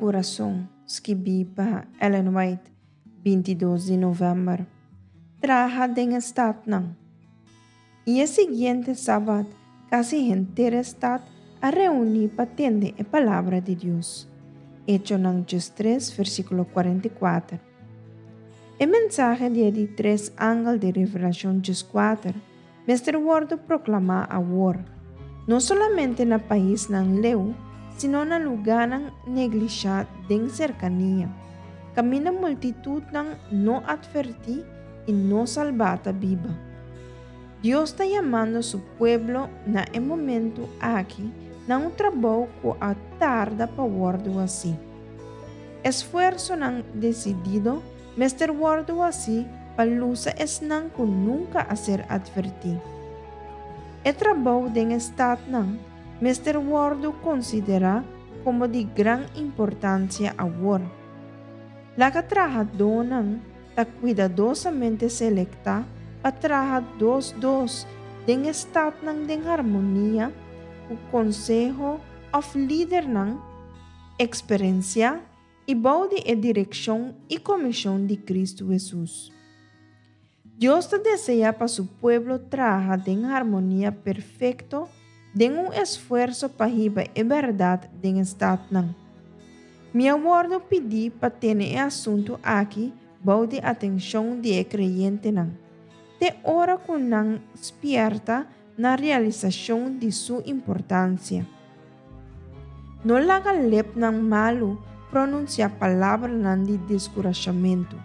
Kurason, skibí pa Ellen White, 22 di novèmber. Traha den e statnan. I e siguiente sabat, kasi henter e stat a reuní pa tende e palabra di Dios. Echonan 13, versíkulo 44. E mensahe di e di tres angel di Revelashon 14 mester wòrdu proklamá awor, no solamente na paisnan leu, sino na lugánan neglishá den serkania, kaminda multitutnan no atvertí i no salbá ta biba. Dios ta yamando su pueblo na e momentu aki na un trabou ku a tarda pa wòrdu hasí. Esfuersonan desidido mester wòrdu hasí pa lusa esnan ku nunka a ser atvertí. E trabou den e statnan mester wòrdu konsiderá komo di gran importansia awor. Laga trahadónan ta kuidadosamente selektá pa traha dos dos den e statnan den harmonia ku konseho òf lidernan eksperensiá i bou di e direkshon i komishon di Kristu Hesus. Dios ta deseá pa su pueblo traha den harmonia perfekto den un esfuerso pa hiba e bèrdat den e statnan. Mi a wòrdu pidí pa tene e asuntu aki bou di atenshon di e kreyentenan, te ora ku nan spièrta na realisashon di su importansia. No laga lepnan malu pronunsiá palabranan di deskurashamentu,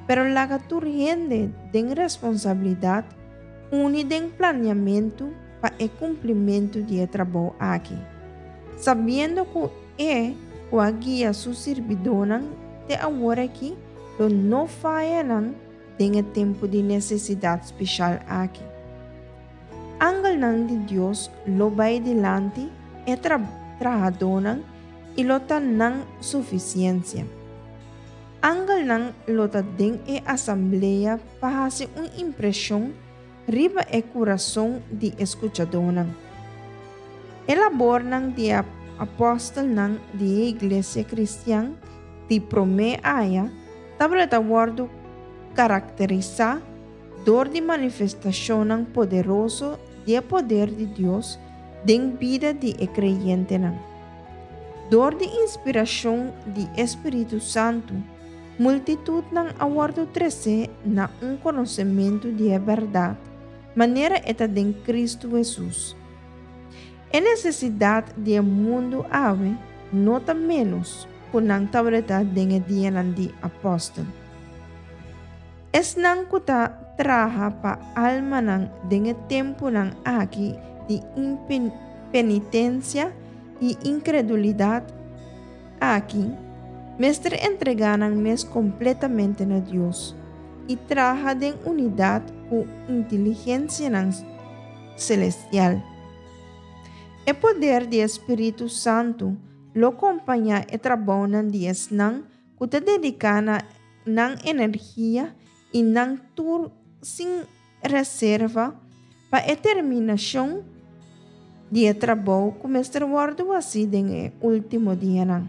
pero laga tur hende den responsabilidat uni den planiamentu pa e kumplimentu di e trabou aki, sabiendo ku E ku a guia su sirbidónan te awor aki lo no faya nan den e tempu di nesesidat speshal aki. Angelnan di Dios lo bai dilanti e trahadónan i lo ta nan sufisiensia. Angelnan lo ta den e asamblea pa hasi un impreshon riba e kurason di e skuchadónan. E labornan di e apòstelnan di e iglesia kristian di promé aya tabata wòrdu karakterisá dor di manifestashonnan poderoso di e poder di Dios den bida di e kreyentenan. Dor di inspirashon di e Spiritu Santu, multitutnan a wòrdu tresé na un konosementu di e bèrdat manera e ta den Kristu Hesus. E nesesidat di e mundu awe no ta ménos ku nan tabata den e dianan di apòstel. Esnan ku ta traha pa almanan den e tempunan aki di impenitensia i inkredulidat aki, mester entregá nan mes kompletamente na Dios i traha den unidat ku inteligensianan selestial. E poder di e Spiritu Santu lo kompañá e trabounan di esnan ku ta dediká na nan energia i nan tur sin reserva pa e terminashon di e trabou ku mester wòrdu hasi den e último dianan.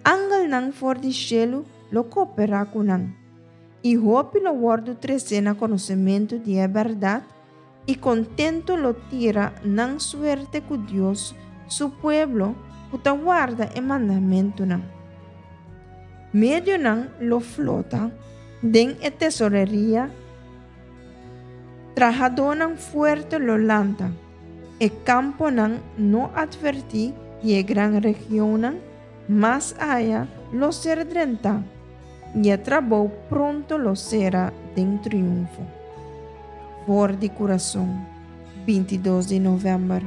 Angelnan for di shelu lo kooperá ku nan, i hopi lo wòrdu tresé na konosementu di e bèrdat i kontentu lo tira nan suerte ku Dios su pueblo ku ta warda e mandamentunan. Medionan lo flota den e tesoreria, trahadónan fuerte lo lanta, e kamponan no atvertí di e gran regionnan mas aya lo ser drentá, i e trabou pronto lo sera den triunfo. For di kurason, 22 di novèmber.